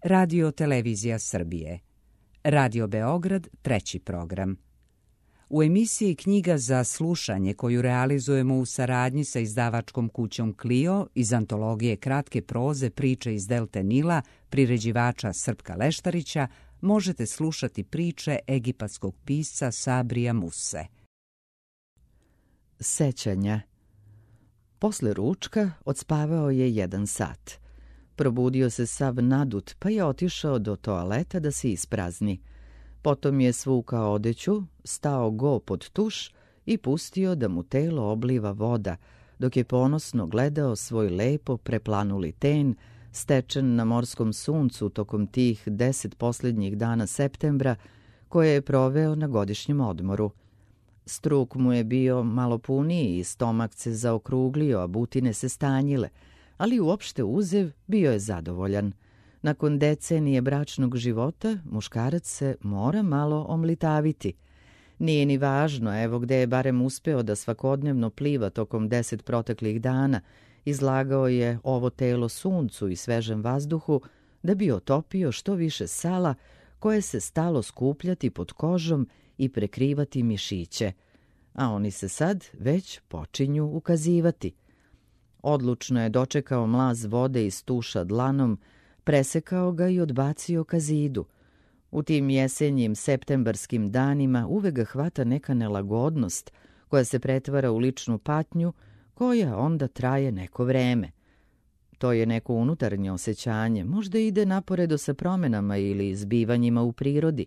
Radio Televizija Srbije. Radio Beograd, 3. program. U emisiji Knjiga za slušanje, koju realizujemo u saradnji sa izdavačkom kućom Clio iz antologije kratke proze Priče iz Delte Nila, priređivača Srpka Leštarića, možete slušati priče egipatskog pisca Sabrija Muse. Sećanja. Posle ručka odspavao je 1 sat. Probudio se sav nadut, pa je otišao do toaleta da se isprazni. Potom je svukao odeću, stao go pod tuš i pustio da mu telo obliva voda, dok je ponosno gledao svoj lepo preplanuli ten, stečen na morskom suncu tokom tih 10 posljednjih dana septembra, koje je proveo na godišnjem odmoru. Struk mu je bio malo puniji i stomak se zaokruglio, a butine se stanjile, ali uopšte uzev bio je zadovoljan. Nakon decenije bračnog života, muškarac se mora malo omlitaviti. Nije ni važno, evo gde je barem uspeo da svakodnevno pliva tokom 10 proteklih dana, izlagao je ovo telo suncu i svežem vazduhu da bi otopio što više sala koje se stalo skupljati pod kožom i prekrivati mišiće, a oni se sad već počinju ukazivati. Odlučno je dočekao mlaz vode iz tuša dlanom, presekao ga i odbacio ka zidu. U tim jesenjim septembarskim danima uvek ga hvata neka nelagodnost koja se pretvara u ličnu patnju, koja onda traje neko vreme. To je neko unutarnje osjećanje, možda ide naporedo sa promenama ili zbivanjima u prirodi.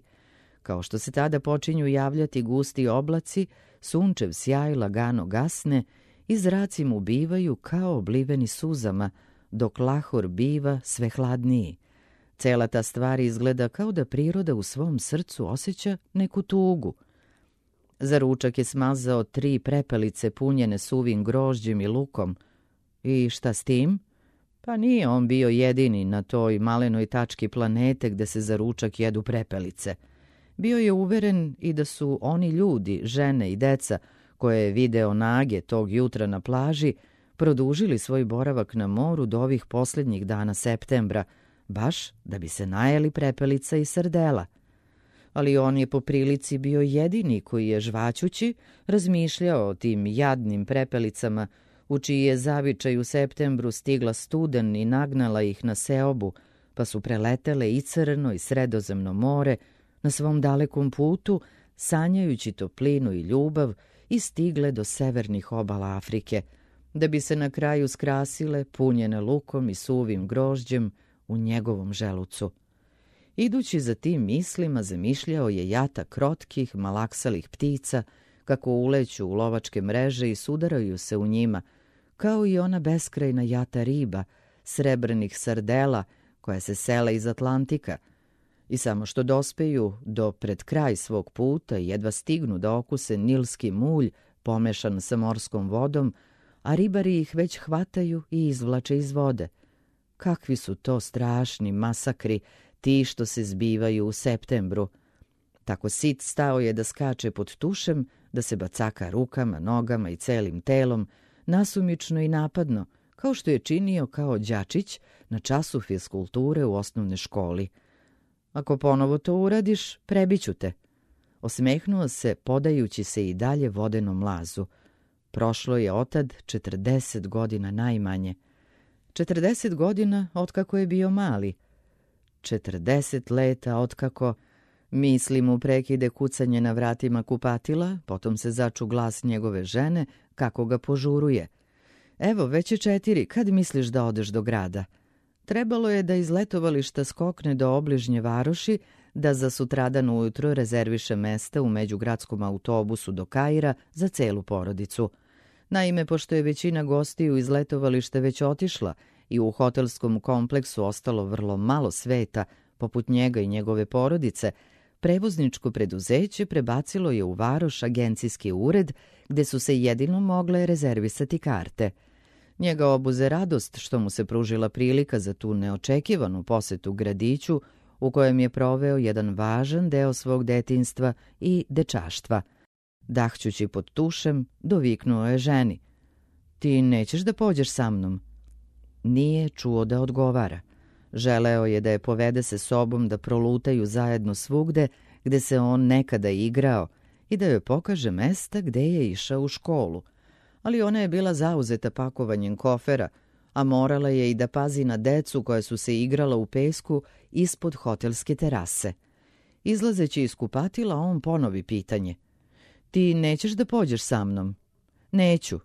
Kao što se tada počinju javljati gusti oblaci, sunčev sjaj lagano gasne i zraci mu bivaju kao obliveni suzama, dok lahor biva sve hladniji. Cela ta stvar izgleda kao da priroda u svom srcu osjeća neku tugu. Za ručak je smazao 3 prepelice punjene suvim grožđem i lukom. I šta s tim? Pa nije on bio jedini na toj malenoj tački planete gde se za ručak jedu prepelice. Bio je uveren i da su oni ljudi, žene i deca, koje je video nage tog jutra na plaži, produžili svoj boravak na moru do ovih posljednjih dana septembra, baš da bi se najeli prepelica i srdela. Ali on je po prilici bio jedini koji je žvaćući razmišljao o tim jadnim prepelicama, u čiji je zavičaj u septembru stigla studen i nagnala ih na seobu, pa su preletele i Crno i Sredozemno more na svom dalekom putu, sanjajući toplinu i ljubav, i stigle do severnih obala Afrike, da bi se na kraju skrasile, punjene lukom i suvim grožđem, u njegovom želucu. Idući za tim mislima, zamišljao je jata krotkih, malaksalih ptica, kako uleću u lovačke mreže i sudaraju se u njima, kao i ona beskrajna jata riba, srebrnih sardela, koja se sele iz Atlantika, i samo što dospeju do pred kraj svog puta i jedva stignu da okuse nilski mulj pomešan sa morskom vodom, a ribari ih već hvataju i izvlače iz vode. Kakvi su to strašni masakri, ti što se zbivaju u septembru. Tako sit stao je da skače pod tušem, da se bacaka rukama, nogama i celim telom, nasumično i napadno, kao što je činio kao đačić na času fiskulture u osnovnoj školi. Ako ponovo to uradiš, prebiću te. Osmehnuo se, podajući se i dalje vodenom mlazu. Prošlo je otad 40 godina najmanje. 40 godina otkako je bio mali. 40 leta otkako, misli mu prekide kucanje na vratima kupatila, potom se začu glas njegove žene, kako ga požuruje. Evo, već je 4, kad misliš da odeš do grada? Trebalo je da iz letovališta skokne do obližnje varoši, da za sutradan ujutro rezerviše mesta u međugradskom autobusu do Kaira za celu porodicu. Naime, pošto je većina gostiju iz letovališta već otišla i u hotelskom kompleksu ostalo vrlo malo sveta, poput njega i njegove porodice, prevozničko preduzeće prebacilo je u varoš agencijski ured, gde su se jedino mogle rezervisati karte. Njega obuze radost što mu se pružila prilika za tu neočekivanu posetu gradiću, u kojem je proveo jedan važan deo svog detinjstva i dečaštva. Dahćući pod tušem, doviknuo je ženi. Ti nećeš da pođeš sa mnom? Nije čuo da odgovara. Želeo je da je povede se sobom da prolutaju zajedno svugde gde se on nekada igrao i da joj pokaže mesta gde je išao u školu. Ali ona je bila zauzeta pakovanjem kofera, a morala je i da pazi na decu koja su se igrala u pesku ispod hotelske terase. Izlazeći iz kupatila, on ponovi pitanje. Ti nećeš da pođeš sa mnom? Neću.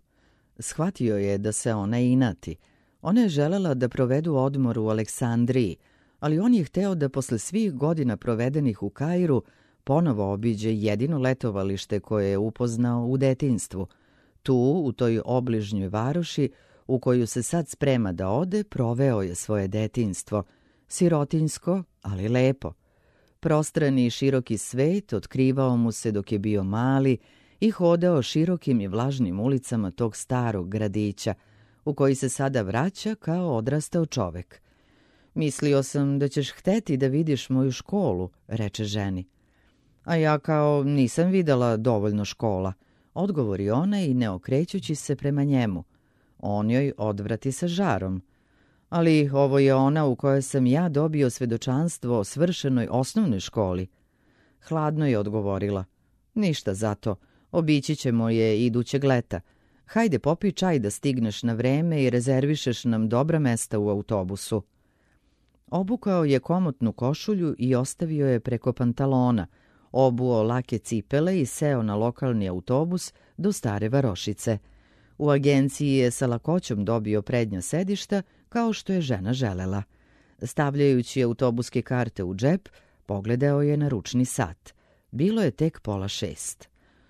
Shvatio je da se ona inati. Ona je želela da provedu odmor u Aleksandriji, ali on je hteo da posle svih godina provedenih u Kairu ponovo obiđe jedino letovalište koje je upoznao u detinjstvu. Tu, u toj obližnjoj varoši, u koju se sad sprema da ode, proveo je svoje detinjstvo. Sirotinjsko, ali lepo. Prostrani i široki svet otkrivao mu se dok je bio mali i hodao širokim i vlažnim ulicama tog starog gradića, u koji se sada vraća kao odrastao čovek. Mislio sam da ćeš hteti da vidiš moju školu, reče ženi. A ja kao nisam videla dovoljno škola, odgovori ona i ne okrećući se prema njemu. On joj odvrati sa žarom. Ali ovo je ona u kojoj sam ja dobio svedočanstvo o svršenoj osnovnoj školi. Hladno je odgovorila. Ništa zato, obići ćemo je idućeg leta. Hajde popij čaj da stigneš na vreme i rezervišeš nam dobra mesta u autobusu. Obukao je komotnu košulju i ostavio je preko pantalona, obuo lake cipele i seo na lokalni autobus do Stare Varošice. U agenciji je sa lakoćom dobio prednja sedišta, kao što je žena želela. Stavljajući autobuske karte u džep, pogledao je na ručni sat. Bilo je tek 5:30.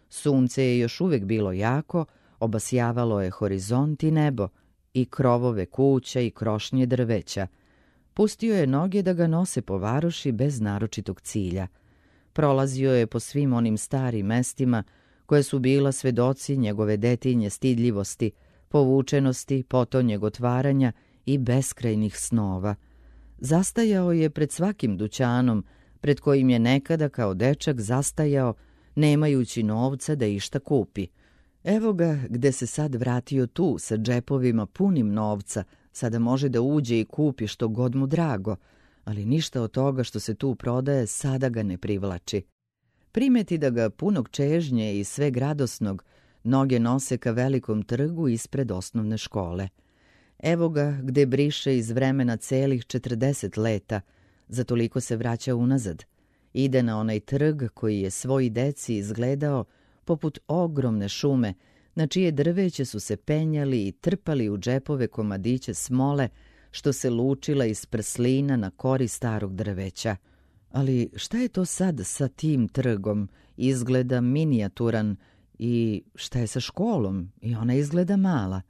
Sunce je još uvek bilo jako, obasjavalo je horizont i nebo, i krovove kuća i krošnje drveća. Pustio je noge da ga nose po varoši bez naročitog cilja. Prolazio je po svim onim starim mestima koje su bila svedoci njegove detinje stidljivosti, povučenosti, potonjeg otvaranja i beskrajnih snova. Zastajao je pred svakim dućanom, pred kojim je nekada kao dečak zastajao, nemajući novca da išta kupi. Evo ga gde se sad vratio tu sa džepovima punim novca, sada može da uđe i kupi što god mu drago, ali ništa od toga što se tu prodaje sada ga ne privlači. Primeti da ga punog čežnje i sveg radosnog noge nose ka velikom trgu ispred osnovne škole. Evo ga gde briše iz vremena celih 40 leta, za toliko se vraća unazad. Ide na onaj trg koji je svoj deci izgledao poput ogromne šume, na čije drveće su se penjali i trpali u džepove komadiće smole, što se lučila iz prslina na kori starog drveća. Ali šta je to sad sa tim trgom? Izgleda minijaturan. I šta je sa školom? I ona izgleda mala.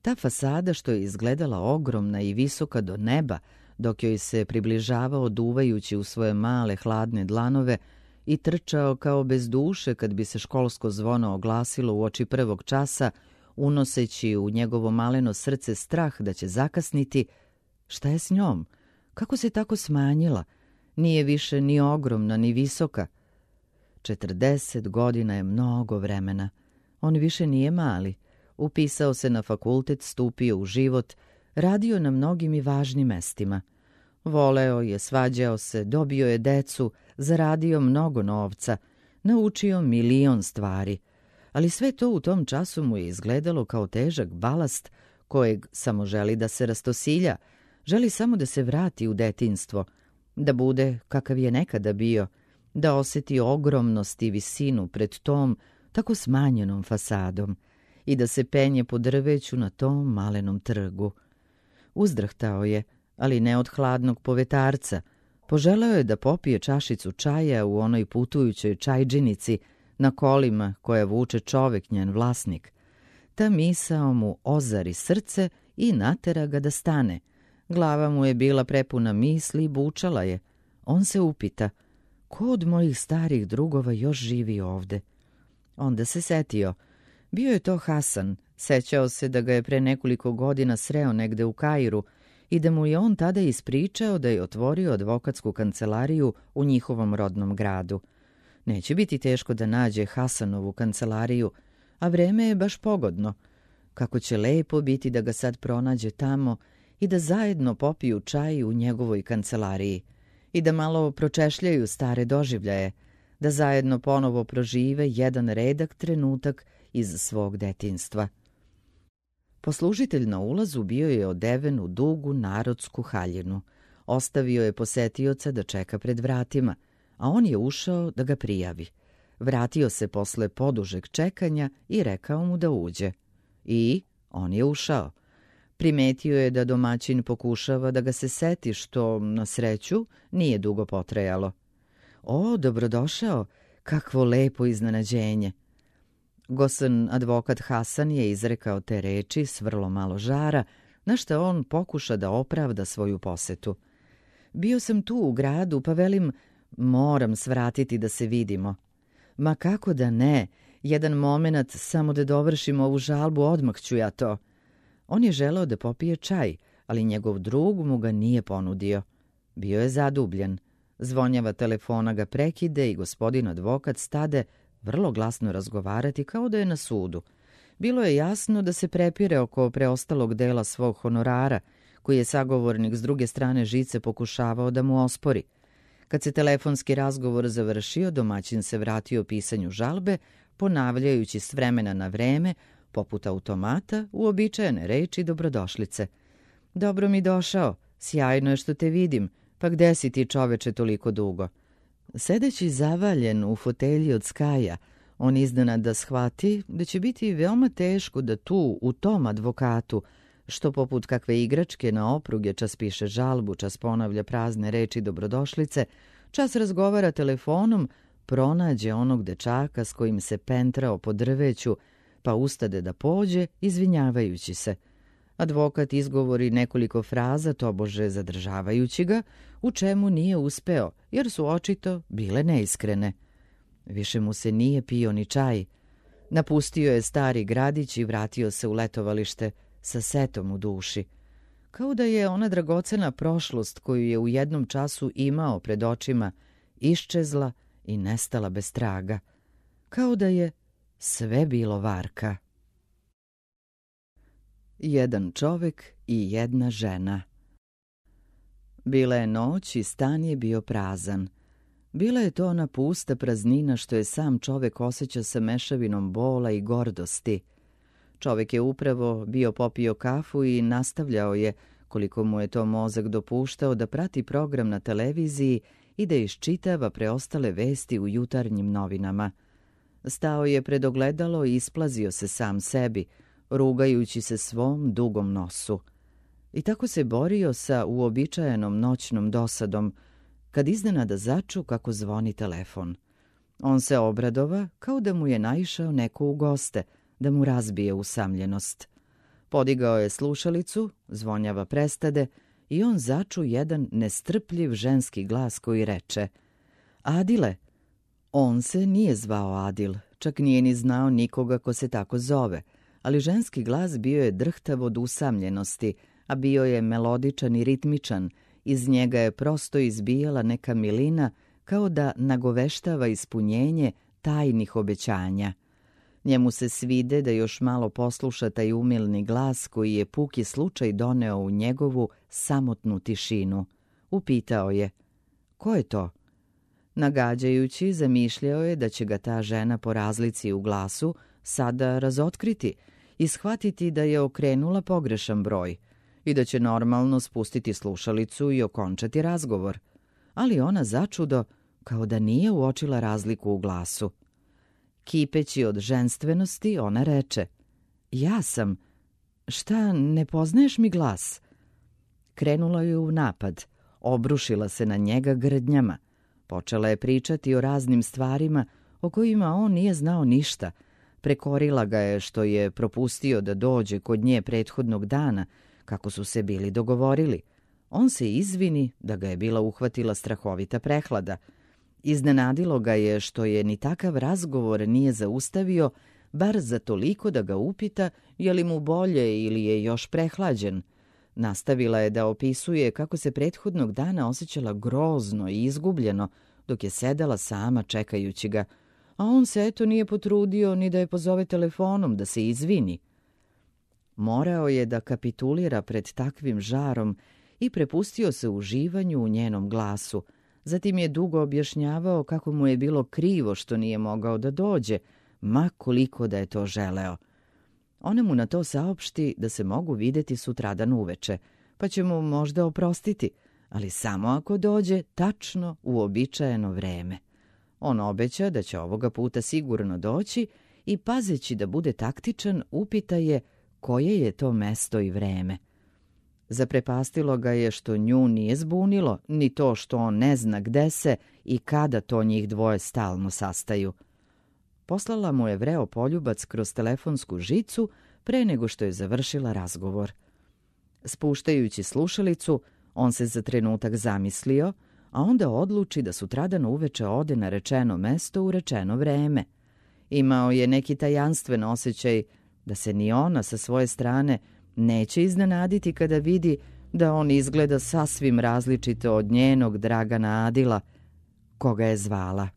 Ta fasada što je izgledala ogromna i visoka do neba, dok joj se približavao duvajući u svoje male hladne dlanove i trčao kao bez duše kad bi se školsko zvono oglasilo uoči prvog časa, unoseći u njegovo maleno srce strah da će zakasniti. Šta je s njom? Kako se tako smanjila? Nije više ni ogromna, ni visoka. 40 godina je mnogo vremena. On više nije mali. Upisao se na fakultet, stupio u život, radio na mnogim i važnim mestima. Voleo je, svađao se, dobio je decu, zaradio mnogo novca, naučio 1.000.000 stvari. Ali sve to u tom času mu je izgledalo kao težak balast kojeg samo želi da se rastosilja, želi samo da se vrati u detinjstvo, da bude kakav je nekada bio, da oseti ogromnost i visinu pred tom tako smanjenom fasadom i da se penje po drveću na tom malenom trgu. Uzdrhtao je, ali ne od hladnog povetarca. Poželeo je da popije čašicu čaja u onoj putujućoj čajđinici na kolima koja vuče čovek, njen vlasnik. Ta misao mu ozari srce i natera ga da stane. Glava mu je bila prepuna misli i bučala je. On se upita, ko od mojih starih drugova još živi ovde? Onda se setio. Bio je to Hasan. Sećao se da ga je pre nekoliko godina sreo negde u Kairu i da mu je on tada ispričao da je otvorio advokatsku kancelariju u njihovom rodnom gradu. Neće biti teško da nađe Hasanovu kancelariju, a vreme je baš pogodno. Kako će lepo biti da ga sad pronađe tamo i da zajedno popiju čaj u njegovoj kancelariji i da malo pročešljaju stare doživljaje, da zajedno ponovo prožive jedan redak trenutak iz svog detinjstva. Poslužitelj na ulazu bio je odeven u dugu narodsku haljinu. Ostavio je posetioca da čeka pred vratima, a on je ušao da ga prijavi. Vratio se posle podužeg čekanja i rekao mu da uđe. I on je ušao. Primetio je da domaćin pokušava da ga se seti, što, na sreću, nije dugo potrajalo. O, dobrodošao, kakvo lepo iznenađenje. Gosan advokat Hasan je izrekao te reči s vrlo malo žara, na šta on pokuša da opravda svoju posetu. Bio sam tu u gradu, pa velim, moram svratiti da se vidimo. Ma kako da ne, jedan moment samo da dovršim ovu žalbu, odmah ću ja to. On je želeo da popije čaj, ali njegov drug mu ga nije ponudio. Bio je zadubljen. Zvonjava telefona ga prekide i gospodin advokat stade vrlo glasno razgovarati kao da je na sudu. Bilo je jasno da se prepire oko preostalog dela svog honorara, koji je sagovornik s druge strane žice pokušavao da mu ospori. Kad se telefonski razgovor završio, domaćin se vratio pisanju žalbe, ponavljajući s vremena na vreme, poput automata, uobičajene reči dobrodošlice. Dobro mi došao, sjajno je što te vidim, pa gde si ti, čoveče, toliko dugo? Sedeći zavaljen u fotelji od skaja, on iznenada shvati da će biti veoma teško da tu, u tom advokatu, što poput kakve igračke na opruge čas piše žalbu, čas ponavlja prazne reči dobrodošlice, čas razgovara telefonom, pronađe onog dečaka s kojim se pentrao po drveću, pa ustade da pođe, izvinjavajući se. Advokat izgovori nekoliko fraza, tobože zadržavajući ga, u čemu nije uspeo, jer su očito bile neiskrene. Više mu se nije pio ni čaj. Napustio je stari gradić i vratio se u letovalište sa setom u duši. Kao da je ona dragocena prošlost koju je u jednom času imao pred očima iščezla i nestala bez traga. Kao da je sve bilo varka. Jedan čovek i jedna žena. Bila je noć i stan je bio prazan. Bila je to ona pusta praznina što je sam čovek osjeća sa mešavinom bola i gordosti. Čovek je upravo bio popio kafu i nastavljao je, koliko mu je to mozak dopuštao, da prati program na televiziji i da iščitava preostale vesti u jutarnjim novinama. Stao je pred ogledalo i isplazio se sam sebi, rugajući se svom dugom nosu. I tako se borio sa uobičajenom noćnom dosadom, kad iznenada začu kako zvoni telefon. On se obradova kao da mu je naišao neko u goste, da mu razbije usamljenost. Podigao je slušalicu, zvonjava prestade i on začu jedan nestrpljiv ženski glas koji reče: Adile! On se nije zvao Adil, čak nije ni znao nikoga ko se tako zove, ali ženski glas bio je drhtav od usamljenosti, a bio je melodičan i ritmičan, iz njega je prosto izbijala neka milina kao da nagoveštava ispunjenje tajnih obećanja. Njemu se svide da još malo posluša taj umilni glas koji je puki slučaj doneo u njegovu samotnu tišinu. Upitao je: ko je to? Nagađajući, zamišljao je da će ga ta žena po razlici u glasu sada razotkriti i shvatiti da je okrenula pogrešan broj i da će normalno spustiti slušalicu i okončati razgovor. Ali ona začudo, kao da nije uočila razliku u glasu. Kipeći od ženstvenosti, ona reče: Ja sam. Šta, ne poznaješ mi glas? Krenula je u napad, obrušila se na njega grdnjama. Počela je pričati o raznim stvarima o kojima on nije znao ništa. Prekorila ga je što je propustio da dođe kod nje prethodnog dana, kako su se bili dogovorili. On se izvini da ga je bila uhvatila strahovita prehlada. Iznenadilo ga je što je ni takav razgovor nije zaustavio, bar za toliko da ga upita je li mu bolje ili je još prehlađen. Nastavila je da opisuje kako se prethodnog dana osjećala grozno i izgubljeno dok je sedela sama čekajući ga, a on se eto nije potrudio ni da je pozove telefonom da se izvini. Morao je da kapitulira pred takvim žarom i prepustio se uživanju u njenom glasu. Zatim je dugo objašnjavao kako mu je bilo krivo što nije mogao da dođe, ma koliko da je to želeo. Ona mu na to saopšti da se mogu videti sutradan uveče, pa će mu možda oprostiti, ali samo ako dođe tačno u uobičajeno vreme. On obeća da će ovoga puta sigurno doći i, pazeći da bude taktičan, upita je koje je to mesto i vreme. Zaprepastilo ga je što nju nije zbunilo, ni to što on ne zna gde se i kada to njih dvoje stalno sastaju. Poslala mu je vreo poljubac kroz telefonsku žicu pre nego što je završila razgovor. Spuštajući slušalicu, on se za trenutak zamislio, a onda odluči da sutradan uveče ode na rečeno mesto u rečeno vreme. Imao je neki tajanstven osjećaj da se ni ona sa svoje strane neće iznenaditi kada vidi da on izgleda sasvim različito od njenog Dragana Adila, koga je zvala.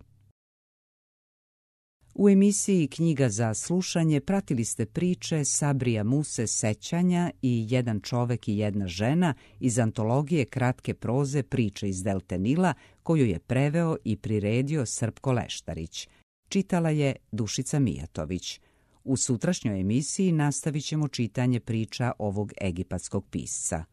U emisiji Knjiga za slušanje pratili ste priče Sabrija Muse Sećanja i Jedan čovek i jedna žena iz antologije kratke proze Priče iz Delte Nila, koju je preveo i priredio Srpko Leštarić. Čitala je Dušica Mijatović. U sutrašnjoj emisiji nastavit ćemo čitanje priča ovog egipatskog pisca.